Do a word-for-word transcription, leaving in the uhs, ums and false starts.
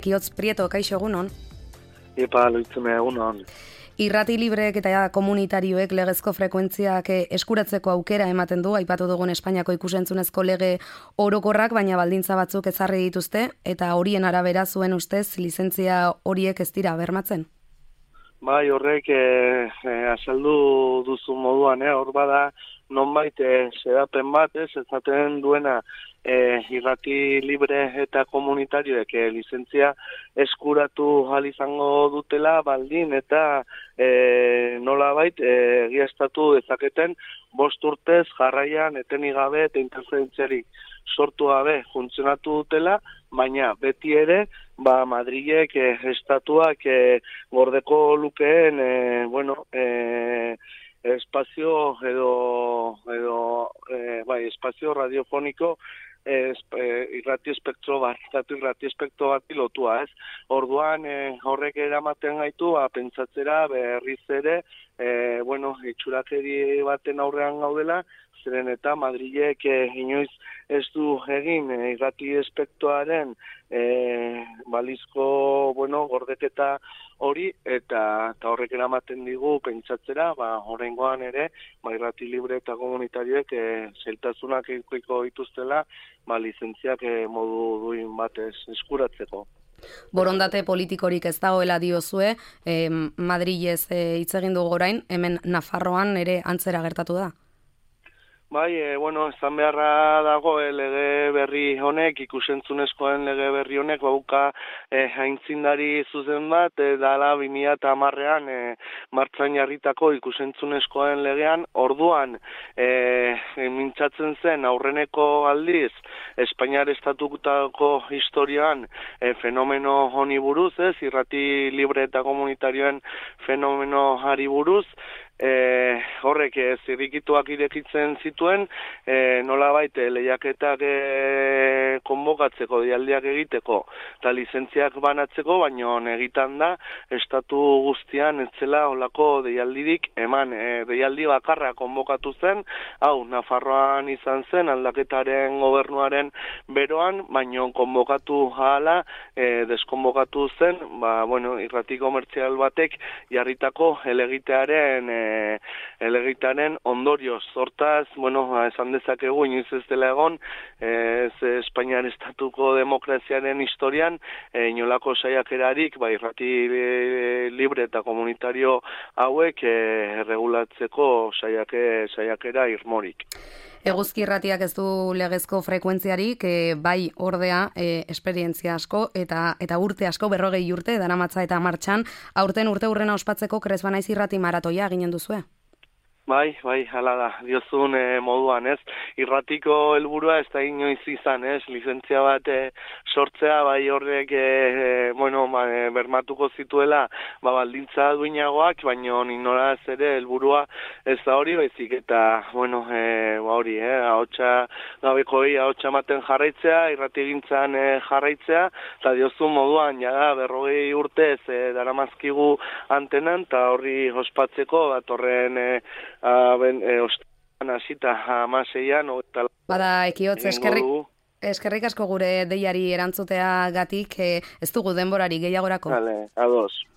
Kiotz Prieto, kaixo egunon. Epa, loitzune egunon. Irrati libreek eta komunitarioek legezko frekuentziak eskuratzeko aukera ematen du, aipatu dugun Espainiako ikusentzunezko lege orokorrak, baina baldintza batzuk ezarri dituzte, eta horien arabera zuen ustez lizentzia horiek ez dira bermatzen? Bai, horrek eh, eh, azaldu duzu moduan, eh, hor bada nonbait eh, xedapen bat, ez, ezaten duena eh, irrati libre eta komunitarioek eh, lizentzia eskuratu ahal izango dutela baldin eta eh, nolabait eh, egiaztatu dezaketen bost urtez jarraian etenik gabe eta interferentziarik sortu gabe funtzionatu dutela, baina beti ere ba Madrilek eh, estatuak eh, gordeko lukeen eh, bueno, eh, espazio edo edo eh, bai, espazio radiofoniko eh, irrati espektro bat, irrati espektro bat pilotua, ez? Orduan eh, horrek eramaten gaitu a pentsatzera berriz ere eh, bueno, itxurakeri baten aurrean gaudela, zeren eta Madrilek eh, inoiz ez du egin eh, irrati espektroaren eh, balizko bueno, gordeketa hori, eta, eta horrek eramaten digu pentsatzera, ba, horrengoan ere, ba, irrati libre eta komunitarioek eh, zailtasunak ekoiko dituztela, ba, lizentziak eh, modu duin batez eskuratzeko. Borondate politikorik ez dagoela diozue, eh, Madrilez eh, hitz egin dugu orain, hemen Nafarroan ere antzera gertatu da? Bai, e, bueno, ezan beharra dago e, lege berri honek, ikusentzunezkoen lege berri honek, bauka e, haintzindari zuzen bat, e, dala bi mila hamarrean e, martxan jarritako ikusentzunezkoen legean, orduan e, mintzatzen zen aurreneko aldiz, Espainiar estatutako historian e, fenomeno honi buruz, ez, irrati libre eta komunitarioen fenomeno hari buruz, E, horrek e, zirrikituak irekitzen zituen, e, nolabait e, lehiaketak e, konbokatzeko, dialdiak egiteko, eta lizentziak banatzeko, baino egitan da, estatu guztian ez zela olako deialdirik eman. E, deialdi bakarra konbokatu zen, hau, Nafarroan izan zen, aldaketaren gobernuaren beroan, baino konbokatu hala, e, deskonbokatu zen, ba, bueno, irrati komertzial batek jarritako helegitearen e, elegitaren ondorioz. Hortaz, bueno, esan dezakegu inoiz ez dela egon, ez Espainiar estatuko demokraziaren historian, e, inolako saiakerarik, ba, irrati libre eta komunitario hauek e, regulatzeko saiake, saiakera irmorik. Eguzki irratiak ez du legezko frekuentziarik, e, bai ordea e, esperientzia asko eta eta urte asko, berrogei urte daramatza eta martxan, aurten urte hurrena ospatzeko Kresbanaiz irrati maratoia eginen duzue? Bai, bai, hala da, diozun e, moduan, ez? Irratiko helburua ez da inoiz izan, ez? Lizentzia bat e, sortzea, bai horrek, e, e, bueno, ba, e, bermatuko zituela, ba, baldintza duinagoak, baina inoraz ere helburua ez da hori, baizik eta, bueno, e, ba hori, eh, ahotsa gabekoi ahotsa ematen jarraitzea, irrati gintzan e, jarraitzea, eta diozun moduan, jada, berrogei urtez e, daramazkigu antenan, eta horri ospatzeko, datorren e, A, ben, e, ostan hasita hamaseian eta bada Ekiotz, eskerrik eskerrik asko gure deiari erantzuteagatik, e, ez dugu denborari gehiagorako. Vale, ados.